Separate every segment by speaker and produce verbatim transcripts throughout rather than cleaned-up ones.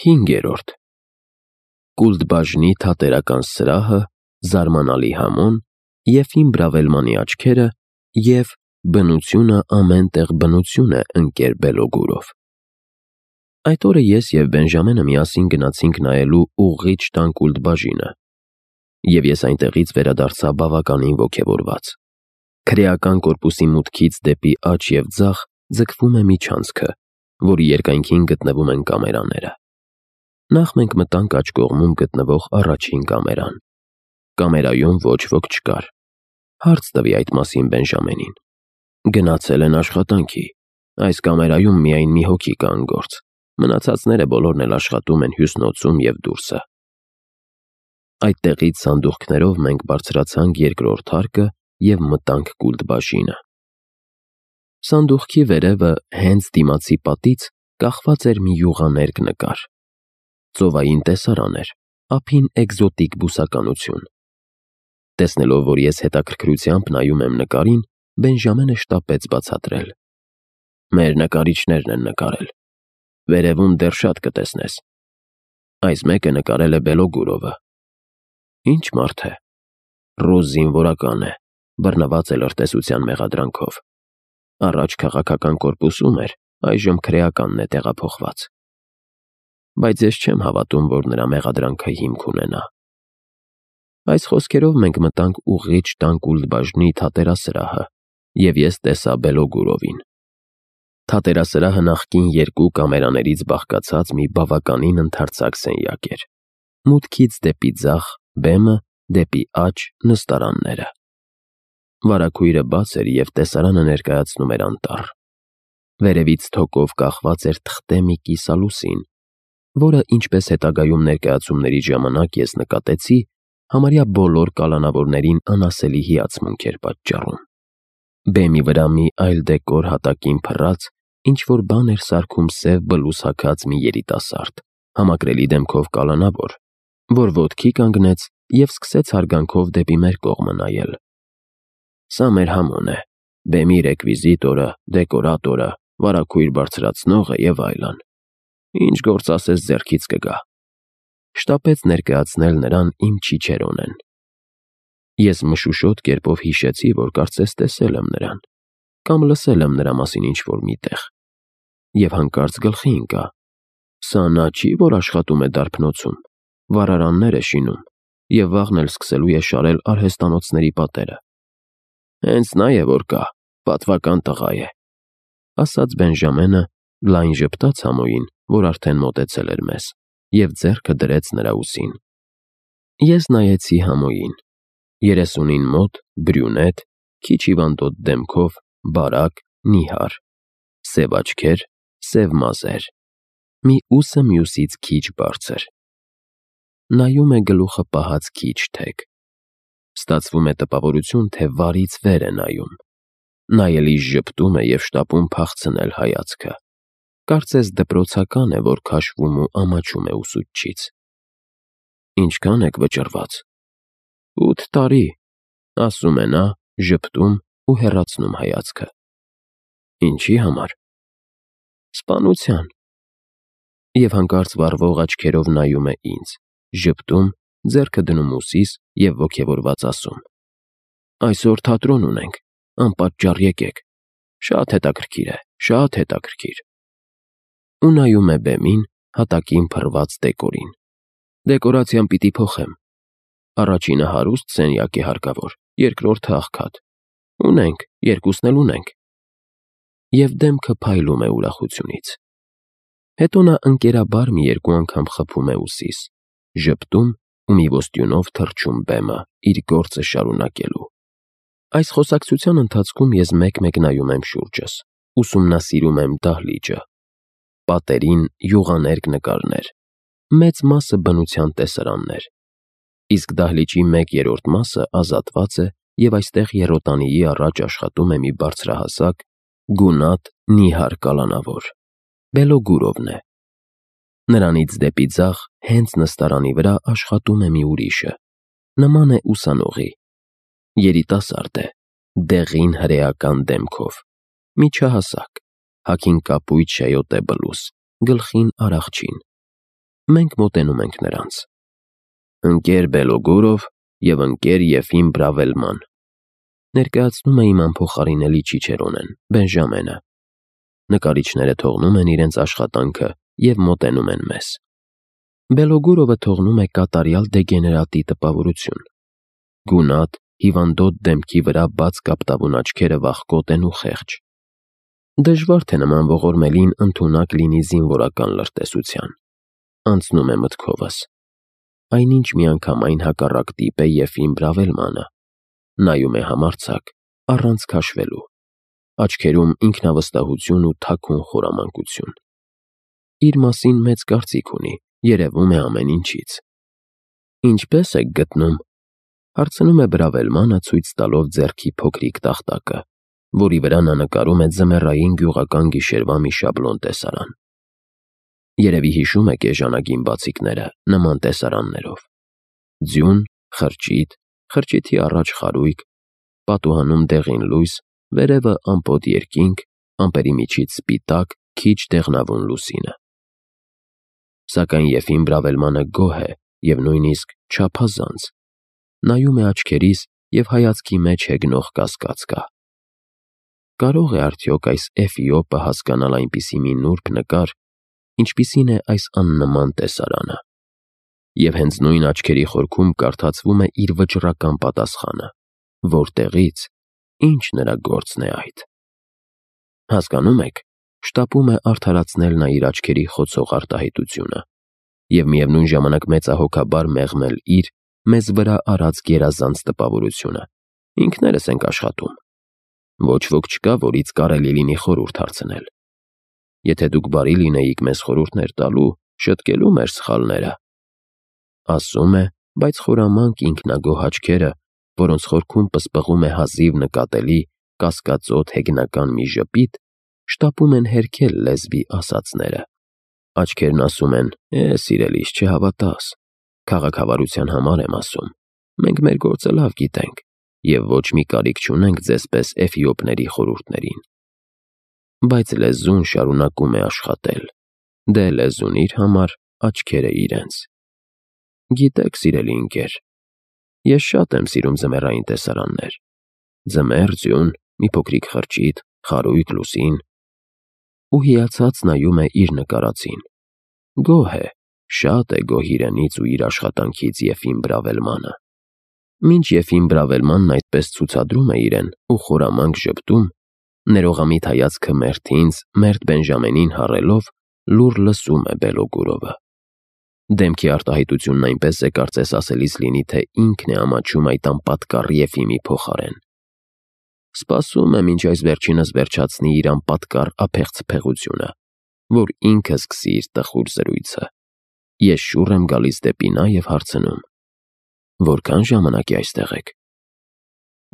Speaker 1: Հինգերորդ Կուլտբաժնի թատերական սրահը, զարմանալի համոն, Եֆիմ Բրավելմանի աչքերը և բնությունը ամեն տեղ բնություն է ընկեր Բելոգուրով։ Այդ օրը ես և Բենժամենը միասին գնացինք նայելու ուղղիչ տան կուլտբաժինը, և ես այնտեղից վերադարձա բավականին ոգևորված։ Քրեական կորպուսի մուտքից դեպի աջ և ձախ ձգվում է միջանցքը, որի երկայնքին գտնվում են կամերաները։ Նախ մենք մտանք աջ կողմում գտնվող առաջին կամերան։ Կամերայում ոչ ոք չկար։ Հարց տվի այդ մասին Բենժամենին։ Գնացել են աշխատանքի։ Այս կամերայում միայն մի հոգի կա անգործ։ Մնացածները բոլորն էլ աշխատում են հյուսնոցում և դուրսը։ Այդտեղից սանդուղքներով մենք բարձրացանք երկրորդ հարկը և մտանք կուլտբաժինը։ Սանդուղքի վերևը հենց դիմացի պատից կախված էր մի յուղաներկ նկար։ Ծովային տեսարան էր, ափին էկզոտիկ բուսականություն։ Տեսնելով, որ ես հետաքրքրությամբ նայում եմ նկարին, Բենժամենը շտապեց բացատրել. Մեր նկարիչներն են նկարել։ Վերևում դեռ շատ կտեսնես։ Այս մեկը նկարել է Բելոգուրովը։ Ինչ մարդ է։ Ռուս զինվորական է, բռնված է լրտեսության մեղադրանքով։ Առաջ քաղաքական կորպուսում էր, այժմ քրեականն է տեղափոխված։ Բայց ես չեմ հավատում, որ նրա մեղադրանքը հիմք ունենա։ Այս խոսքերով մենք մտանք ուղղիչ տան կուլտբաժնի թատերասրահը, և ես տեսա Բելոգուրովին։ Թատերասրահը նախկին երկու կամերաներից բաղկացած մի բավականին ընդարձակ սենյակ էր։ Մուտքից դեպի ձախ բեմը, դեպի աջ նստարանները։ Վարագույրը բաց էր և տեսարանը ներկայացնում էր անտառ։ Վերևից թոկով կախված էր թղթե մի կիսալուսին, որը, ինչպես հետագայում ներկայացումների ժամանակ ես նկատեցի, համարյա բոլոր կալանավորներին անասելի հիացմունք էր պատճառում։ Բեմի վրա մի այլ դեկոր հատակին փռած ինչ-որ բան էր սարքում սև բլուզ հագած մի երիտասարդ, համակրելի դեմքով կալանավոր, որ ոտքի կանգնեց և սկսեց հարգանքով դեպի մեր կողմը նայել։ Սա մեր համոն է, բեմի ռեկվիզիտորը, դեկորատորը, վարագույր բարձրացնողը և այլն։ Ինչ գործ ասես ձեռքից կգա։ Շտապեց ներկայացնել նրան իմ Չիչերոնեն։ Ես մշուշոտ կերպով հիշեցի, որ կարծես տեսել եմ նրան, կամ լսել եմ նրա մասին ինչ-որ մի տեղ։ Եվ հանկարծ գլխի ընկա. սա նա չի, որ աշխատում է դարբնոցում, վառարաններ է շինում և վաղն էլ սկսելու է շարել արհեստանոցների պատերը։ Հենց նա է, որ կա, պատվական տղա է, ասաց Բենժամենը, լայն ժպտաց համոյին, որ արդեն մոտեցել էր մեզ, և ձեռքը դրեց նրա ուսին։ Ես նայեցի համոյին։ Երեսունին մոտ, բրյունետ, քիչ հիվանդոտ դեմքով, բարակ, նիհար, սև աչքեր, սև մազեր, մի ուսը մյուսից քիչ բարձր։ Նայում է գլուխը պահած քիչ թեք։ Ստացվում է տպավորություն, թե վարից վեր է նայում։ Նայելիս ժպտում է և շտապում փախցնել հայացքը։ Կարծես դպրոցական է, որ քաշվում ու ամաչում է ուսուցչից։ Ինչքան եք վճռված։ Ութ տարի, ասում է նա, ժպտում ու հեռացնում հայացքը։ Ինչի համար։ Սպանության։ Եվ հանկարծ վառվող աչքերով նայում է ինձ, ժպտում, ձեռքը դնում ուսիս և ոգևորված ասում. Այսօր թատրոն ունենք, անպատճառ եկեք, շատ հետաքրքիր է, շատ հետաքրքիր։ Ու նայում է բեմին, հատակին փռված դեկորին։ Դեկորացիան պիտի փոխեմ։ Առաջինը հարուստ սենյակ է հարկավոր, երկրորդը աղքատ։ Ունենք, երկուսն էլ ունենք։ Եվ դեմքը փայլում է ուրախությունից։ Հետո նա ընկերաբար մի երկու անգամ խփում է ուսիս, ժպտում ու մի ոսტյունով թռչում բեմը, իր գործը շարունակելու։ Այս խոսակցության ընթացքում ես մեկ-մեկ նայում եմ շուրջս, ուսումնասիրում եմ դահլիճը։ Պատերին յուղաներկ նկարներ, մեծ մասը բնության տեսարաններ, իսկ դահլիճի մեկ երրորդ մասը ազատված է և այստեղ եռոտանիի առաջ աշխատում է մի բարձրահասակ, գունատ, նիհար կալանավոր։ Բելոգուրովն է։ Նրանից դեպի ձախ, հենց նստարանի վրա աշխատում է մի ուրիշը, նման է ուսանողի։ Երիտասարդ է, դեղին հրեական դեմքով, միջահասակ, հագին կապույտ շայոտե բլուզ, գլխին արաղչին։ Մենք մոտենում ենք նրանց։ Ընկեր Բելոգորով և ընկեր Եֆիմ Բրավելման, ներկայացնում է իմ անփոխարինելի Չիչերոնեն, Բենժամենը։ Նկարիչները թողնում են իրենց աշխատանքը և մոտենում են մեզ։ Բելոգորովը թողնում է կատարյալ դեգեներատի տպավորություն։ Գունատ, հիվանդոտ դեմքի վրա բաց կապտավուն աչքերը վախկոտ են ու խեղճ։ Դժվար թե նման ողորմելին ընդունակ լինի զինվորական լրտեսության։ Անցնում է մտքովս։ Այնինչ միանգամայն հակառակ տիպ է Եֆիմ Բրավելմանը։ Նայում է համարձակ, առանց քաշվելու։ Աչքերում ինքնավստահություն ու թաքուն խորամանկություն։ Իր մասին մեծ կարծիք ունի, երևում է ամեն ինչից։ Ինչպե՞ս եք գտնում, հարցնում է Բրավելմանը, ցույց տալով ձեռքի փոքրիկ տախտակը, որի վրա նա նկարում է ձմեռային գյուղական գիշերվա մի շաբլոն տեսարան։ Երևի հիշում եք էժանագին բացիկները նման տեսարաններով։ Ձյուն, խրճիթ, խրճիթի առաջ խարույկ, պատուհանում դեղին լույս, վերևը ամպոտ երկինք, ամպերի միջից սպիտակ, քիչ դեղնավուն լուսինը։ Սակայն Եֆիմ Բրավելմանը գոհ է և նույնիսկ չափազանց։ Նայում է աչքերիս և հայացքի մեջ հեգնող կասկած կա։ Կարո՞ղ է արդյոք այս Էֆիոպը հասկանալ այնպիսի մի նուրբ նկար, ինչպիսին է այս աննման տեսարանը։ Եվ հենց նույն աչքերի խորքում կարդացվում է իր վճռական պատասխանը. որտեղից, ինչ նրա գործն է այդ։ Հասկանո՞ւմ եք, շտապում է արդարացնել նա իր աչքերի խոցող արտահայտությունը և միևնույն ժամանակ մեծահոգաբար մեղմել իր մեզ վրա արած գերազանց տպավորությունը։ Ինքներս ենք աշխատում։ Ոչ ոք չկա, որից կարելի լինի խորհուրդ հարցնել։ Եթե դուք բարի լինեիք մեզ խորհուրդներ տալու, շտկելու մեր սխալները։ Ասում է, բայց խորամանկ ինքնագոհ աչքերը, որոնց խորքում պսպղում է հազիվ նկատելի, կասկածոտ հեգնական մի ժպիտ, շտապում են հերքել լեզվի ասածները։ Աչքերն ասում են. «Է, սիրելիս, չհավատաս, քաղաքավարության համար եմ ասում, մենք մեր գործը լավ գիտենք և ոչ մի կարիք չունենք ձեզպես էֆիոպների խորհուրդներին»։ Բայց լեզուն շարունակում է աշխատել։ Դե լեզուն իր համար, աչքերը իրենց։ Գիտեք, սիրելի ընկեր, ես շատ եմ սիրում ձմեռային տեսարաններ։ Ձմեռ, ձյուն, մի փոքրիկ խրճիթ, խարույկ, լուսին։ Ու հիացած նայում է իր նկարածին։ Գոհ է, շատ է գոհ իրենից ու իր աշխատանքից Եֆիմ Բրավելմանը։ Մինչ Եֆիմ Բրավելմանն այդպես ցուցադրում է իրեն ու խորամանկ ժպտում, ներողամիտ հայացքը մերթ ինձ, մերթ Բենժամենին հառելով, լուռ լսում է Բելոգորովը։ Դեմքի արտահայտությունն այնպես է, կարծես ասելիս լինի, թե ինքն է ամաչում այդ անպատկառ Եֆիմի փոխարեն։ Սպասում է, մինչ այս վերջինս վերջացնի իր անպատկառ ափեղցփեղությունը, որ ինքը սկսի իր տխուր զրույցը։ Ես շուռ եմ գալիս դեպի նա և հարցնում. «Որքան ժամանակ է այստեղ եք»։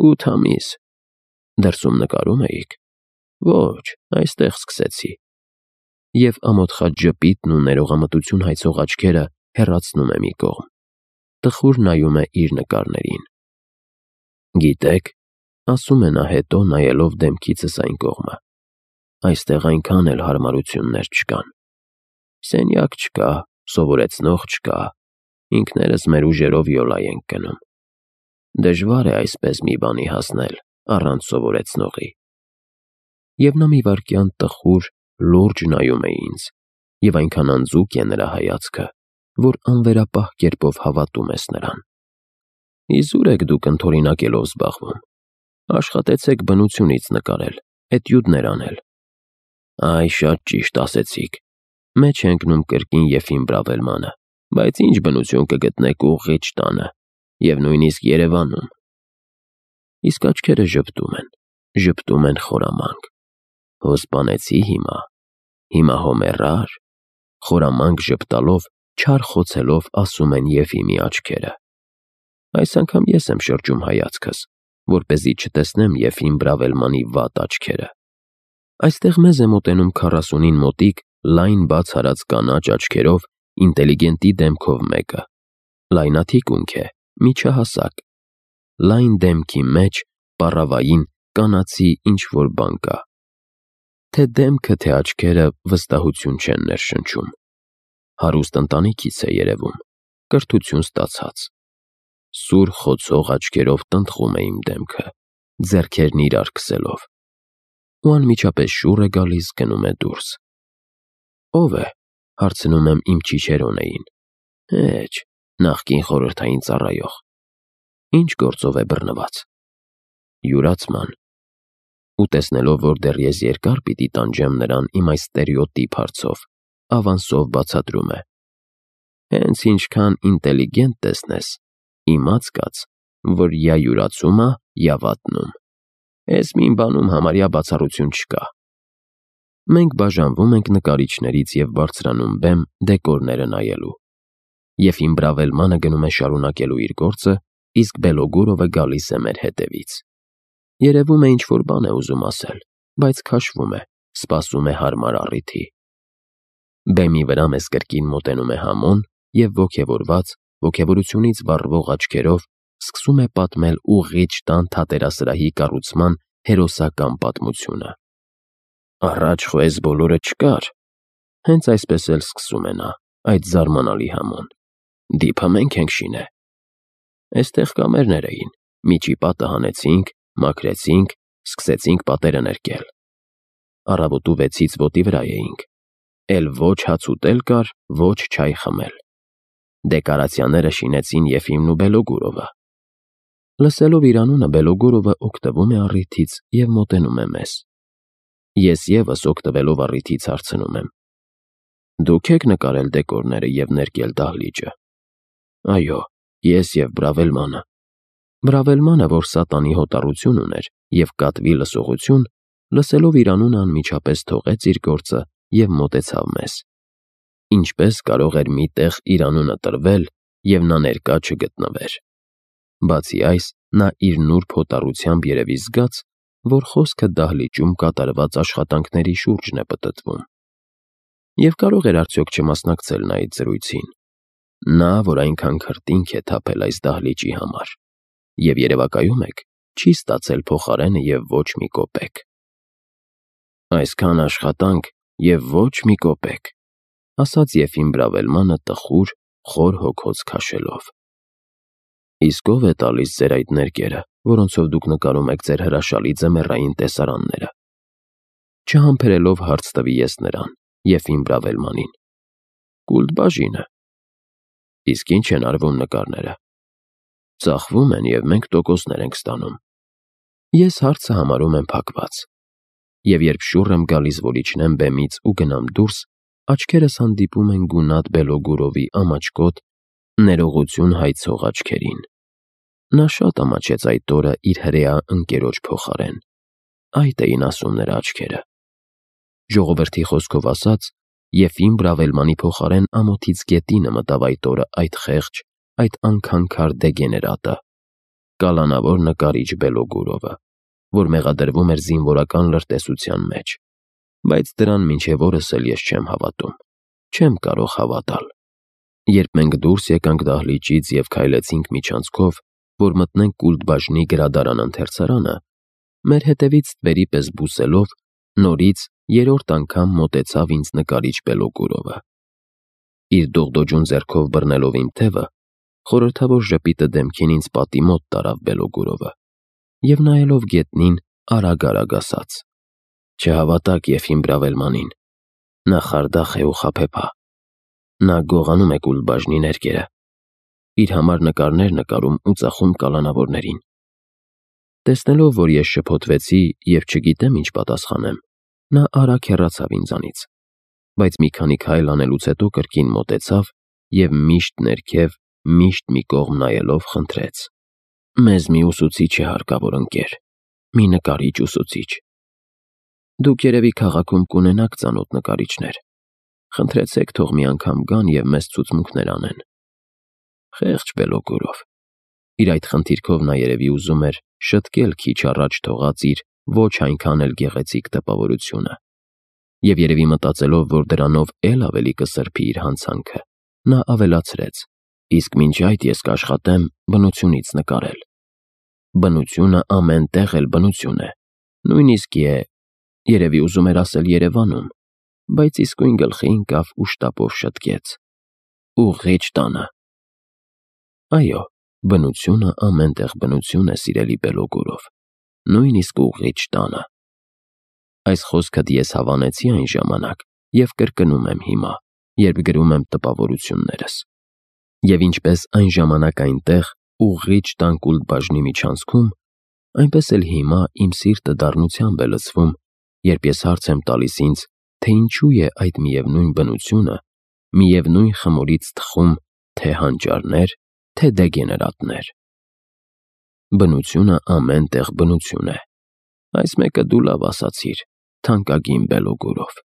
Speaker 1: «Ութ ամիս»։ «Դրսում նկարում էիք»։ «Ոչ, այստեղ սկսեցի»։ Եվ ամոթխած ժպիտն ու ներողամտություն հայցող աչքերը հեռացնում է մի կողմ։ Տխուր նայում է իր նկարներին։ «Գիտեք», ասում է նա հետո, նայելով դեմքիցս այն կողմը, «այստեղ այնքան էլ հարմարություններ չկան։ Սենյակ չկա, սովորեցնող չկա, ինքներս մեր ուժերով յոլա ենք գնում։ Դժվար է այսպես մի բանի հասնել առանց սովորեցնողի»։ Եվ նա մի վայրկյան տխուր, լուրջ նայում է ինձ, և այնքան անձուկ է նրա հայացքը, որ անվերապահ կերպով հավատում ես նրան։ «Իզուր եք դուք ընդօրինակելով զբաղվում։ Աշխատեցեք բնությունից նկարել, էտյուդներ անել»։ «Այ, շատ ճիշտ ասեցիք», մեջ է ընկնում կրկին Եֆիմ Բրավելմանը, «բայց ինչ բնություն կգտնեք ուղղիչ տանը և նույնիսկ Երևանում»։ Իսկ աչքերը ժպտում են, ժպտում են խորամանկ։ Հո սպանեցի հիմա, հիմա հո մեռար։ Խորամանկ ժպտալով, չար խոցելով ասում են Եֆիմի աչքերը։ Այս անգամ ես եմ շրջում հայացքս, որպեսզի չտեսնեմ Եֆիմ Բրավելմանի վատ աչքերը։ Այստեղ մեզ է մոտենում քառասունին մոտիկ, լայն բաց արած կանաչ աչքերով, ինտելիգենտի դեմքով մեկը։ Լայնաթիկունք է, միջահասակ։ Լայն դեմքի մեջ, պառավային, կանացի ինչ-որ բան կա։ Թե դեմքը, թե աչքերը վստահություն չեն ներշնչում։ Հարուստ ընտանիքից է երևում, կրթություն ստացած։ Սուր խոցող աչքերով տնտղում է իմ դեմքը, ձեռքերն իրար քսելով։ Ու անմիջապես շուռ է գալիս, գնում է դուրս։ Ո՞վ է, հարցնում եմ իմ Չիչերոնեին։ Հեչ, նախկին խորհրդային ծառայող։ Ինչ գործով է բռնված։ Յուրացման։ Ու տեսնելով, որ դեռ ես երկար պիտի տանջեմ նրան իմ այս ստերեոտիպ հարցով, ավանսով բացատրում է. Հենց ինչքան ինտելիգենտ տեսնես, իմաց կաց, որ յա յուրացում ա, յա վատնում։ Էս մին բանում համարյա բացառություն չկա։ Մենք բաժանվում ենք նկարիչներից և բարձրանում բեմ դեկորները նայելու։ Եֆիմ Բրավելմանը գնում է շարունակելու իր գործը, իսկ Բելոգորովը գալիս է մեր հետևից։ Երևում է ինչ-որ բան է ուզում ասել, բայց քաշվում է, սպասում է հարմար առիթի։ Բեմի վրա մեզ կրկին մոտենում է Համոն և ոգևորված, ոգևորությունից վառվող աչքերով սկսում է պատմել ուղղիչ տան թատերասրահի կառուցման հերոսական պատմությունը։ Առաջ խո էս բոլորը չկար։ Հենց այսպես էլ սկսում է նա, այդ զարմանալի Համոն։ Դիփը մենք ենք շինե։ Էստեղ կամերներ էին, միջի պատը հանեցինք, մաքրեցինք, սկսեցինք պատերը ներկել։ Առավոտու վեցից ոտի վրա էինք, էլ ոչ հաց ուտել կար, ոչ չայ խմել։ Դեկորացիաները շինեցին Եֆիմն ու Բելոգորովը։ Լսելով իր անունը Բելոգորովը օգտվում է առիթից և մոտենում է մեզ։ Ես ևս օգտվելով առիթից հարցնում եմ. Դուք եք նկարել դեկորները և ներկել դահլիճը։ Այո, ես և Բրավելմանը։ Բրավելմանը, որ սատանի հոտառություն ուներ և կատվի լսողություն, լսելով իր անունը անմիջապես թողեց իր գործը և մոտեցավ մեզ։ Ինչպես կարող էր մի տեղ իր անունը տրվել, և նա ներկա չգտնվեր։ Բացի այս, նա իր նուրբ հոտառությամբ երևի զգաց, որ խոսքը դահլիճում կատարված աշխատանքների շուրջն է պտտվում։ Եվ կարող էր արդյոք չմասնակցել նա այդ զրույցին։ Նա, որ այնքան քրտինք է թափել այս դահլիճի համար, և երևակայում եք, չի ստացել փոխարենը և ոչ մի կոպեկ։ Այսքան աշխատանք և ոչ մի կոպեկ, ասաց Եֆիմ Բրավելմանը տխուր, խոր հոգոց քաշելով։ Իսկ ո՞վ է տալիս ձեր այդ ներկերը, որոնցով դուք նկարում եք ձեր հրաշալի ձմեռային տեսարանները։ Չհամբերելով հարց տվի ես նրան, Եֆիմ Բրավելմանին։ Կուլտբաժինը։ Իսկ ինչ են արվում նկարները։ Ծախվում են և մենք տոկոսներ ենք ստանում։ Ես հարցը համարում եմ փակված։ Եվ երբ շուռ եմ գալիս, որ իջնեմ բեմից ու գնամ դուրս, աչքերս հանդիպում են գունատ Բելոգորովի ամաչկոտ, ներողություն հայցող աչքերին։ Նա շատ ամաչեց այդ օրը իր հրեա ընկերոջ փոխարեն։ Այդ էին ասում նրա աչքերը։ Ժողովրդի խոսքով ասած, Եֆիմ Բրավելմանի փոխարեն ամոթից գետինը մտավ այդ օրը այդ խեղճ, այդ անքանքար դեգեներատը, կալանավոր նկարիչ Բելոգորովը, որ մեղադրվում էր զինվորական լրտեսության մեջ, բայց դրան մինչև օրս էլ ես չեմ հավատում, չեմ կարող հավատալ։ Երբ մենք դուրս եկանք դահլիճից և քայլեցինք միջանցքով, որ մտնենք Կուլտբաժնի գրադարան ընթերցարանը, մեր հետևից ստվերի պես բուսելով, նորից երրորդ անգամ մոտեցավ ինձ նկարիչ Բելոգորովը։ Իր դողդոջուն ձեռքով բռնելով իմ թևը, խորհրդավոր ժպիտը դեմքին ինձ պատի մոտ տարավ Բելոգորովը և նայելով գետնին արագ-արագ ասաց. Չհավատաք Եֆիմ Բրավելմանին, նա խարդախ է ու խաբեբա, նա գողանում է Կուլտբաժնի ներկերը, իր համար նկարներ նկարում ու ծախում կալանավորներին։ Տեսնելով, որ ես շփոթվեցի և չգիտեմ ինչ պատասխանեմ, նա արագ հեռացավ ինձանից, բայց մի քանի քայլ անելուց հետո կրկին մոտեցավ և միշտ ներքև, միշտ մի կողմ նայելով խնդրեց. Մեզ մի ուսուցիչ է հարկավոր, ընկեր, մի նկարիչ ուսուցիչ։ Դուք երևի քաղաքում կունենաք ծանոթ նկարիչներ, խնդրեցեք թող մի անգամ գան և մեզ ցուցմունքներ անեն։ Խեղճ Բելոգորով։ Իր այդ խնդիրքով նա երևի ուզում էր շտկել քիչ առաջ թողած իր ոչ այնքան էլ գեղեցիկ տպավորությունը։ Եվ երևի մտածելով, որ դրանով էլ ավելի կսրբի իր հանցանքը, նա ավելացրեց. իսկ մինչ այդ ես կաշխատեմ բնությունից նկարել։ Բնությունը ամեն տեղ էլ բնություն է, նույնիսկ է, երևի ուզում էր ասել Երևանում, բայց իսկույն գլխի ընկավ ու շտապով շտկեց. ուղղիչ տանը։ Այո, բնությունը ամենտեղ բնություն է, սիրելի Բելոգորով, նույնիսկ ուղղիչ տանը։ Այս խոսքդ ես հավանեցի այն ժամանակ և կրկնում եմ հիմա, երբ գրում եմ տպավորություններս։ Եվ ինչպես այն ժամանակ այնտեղ, ուղղիչ տան կուլտ բաժնի միջանցքում, այնպես էլ հիմա իմ սիրտը դառնությամբ է լցվում, երբ ես հարց եմ տալիս ինձ, թե ինչու է այդ միևնույն բնությունը միևնույն խմորից թխում թե հանճարներ, թե դեգեներատներ։ Բնությունը ամեն տեղ բնություն է։ Այս մեկը դու լավ ասացիր, թանկագին Բելոգորով։